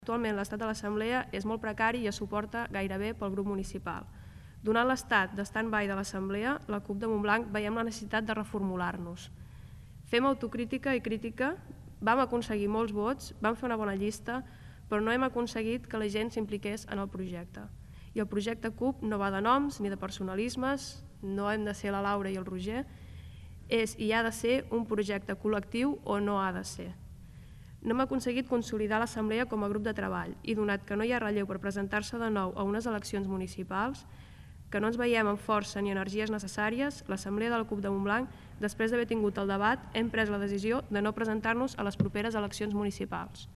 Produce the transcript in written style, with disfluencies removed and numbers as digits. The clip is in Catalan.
Actualment l'estat de l'Assemblea és molt precari i es suporta gairebé pel grup municipal. Donat l'estat de stand-by de l'Assemblea, la CUP de Montblanc veiem la necessitat de reformular-nos. Fem autocrítica i crítica, vam aconseguir molts vots, vam fer una bona llista, però no hem aconseguit que la gent s'impliqués en el projecte. I el projecte CUP no va de noms ni de personalismes, no hem de ser la Laura i el Roger, és i ha de ser un projecte col·lectiu o no ha de ser. No hem aconseguit consolidar l'Assemblea com a grup de treball i donat que no hi ha relleu per presentar-se de nou a unes eleccions municipals, que no ens veiem amb força ni energies necessàries, l'Assemblea de la CUP de Montblanc, després d'haver tingut el debat, hem pres la decisió de no presentar-nos a les properes eleccions municipals.